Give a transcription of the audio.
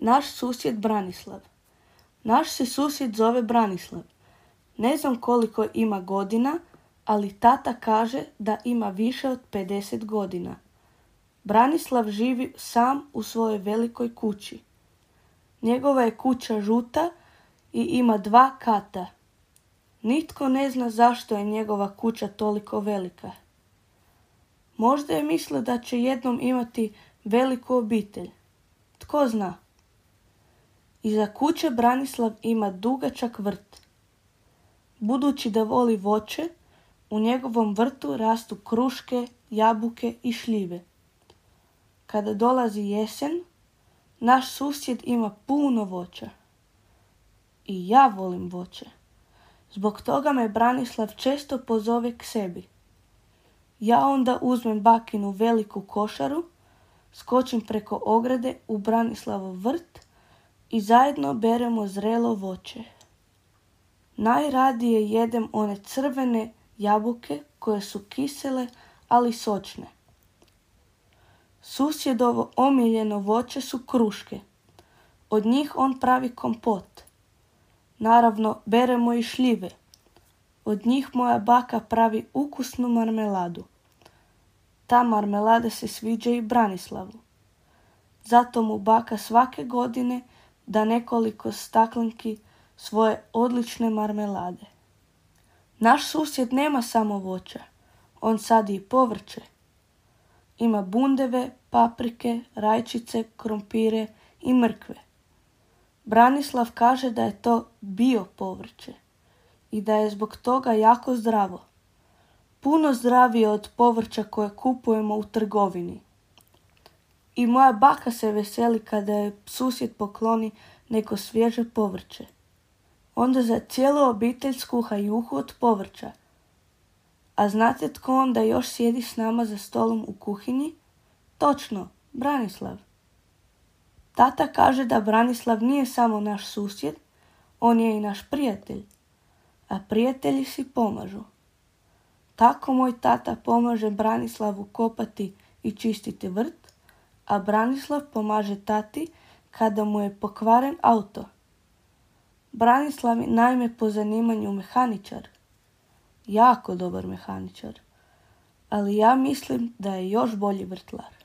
Naš susjed Branislav. Naš se susjed zove Branislav. Ne znam koliko ima godina, ali tata kaže da ima više od 50 godina. Branislav živi sam u svojoj velikoj kući. Njegova je kuća žuta i ima 2 kata. Nitko ne zna zašto je njegova kuća toliko velika. Možda je mislio da će jednom imati veliku obitelj. Tko zna? Iza kuće Branislav ima dugačak vrt. Budući da voli voće, u njegovom vrtu rastu kruške, jabuke i šljive. Kada dolazi jesen, naš susjed ima puno voća. I ja volim voće. Zbog toga me Branislav često pozove k sebi. Ja onda uzmem bakinu veliku košaru, skočim preko ograde u Branislavov vrt i zajedno beremo zrelo voće. Najradije jedem one crvene jabuke koje su kisele, ali sočne. Susjedovo omiljeno voće su kruške. Od njih on pravi kompot. Naravno, beremo i šljive. Od njih moja baka pravi ukusnu marmeladu. Ta marmelada se sviđa i Branislavu. Zato mu baka svake godine da nekoliko staklenki svoje odlične marmelade. Naš susjed nema samo voća. On sadi i povrće. Ima bundeve, paprike, rajčice, krompire i mrkve. Branislav kaže da je to bio povrće i da je zbog toga jako zdravo. Puno zdravije od povrća koje kupujemo u trgovini. I moja baka se veseli kada je susjed pokloni neko svježe povrće. Onda za cijelu obitelj skuha juhu od povrća. A znate tko onda još sjedi s nama za stolom u kuhinji? Točno, Branislav. Tata kaže da Branislav nije samo naš susjed, on je i naš prijatelj. A prijatelji si pomažu. Tako moj tata pomaže Branislavu kopati i čistiti vrt, a Branislav pomaže tati kada mu je pokvaren auto. Branislav je naime po zanimanju mehaničar. Jako dobar mehaničar. Ali ja mislim da je još bolji vrtlar.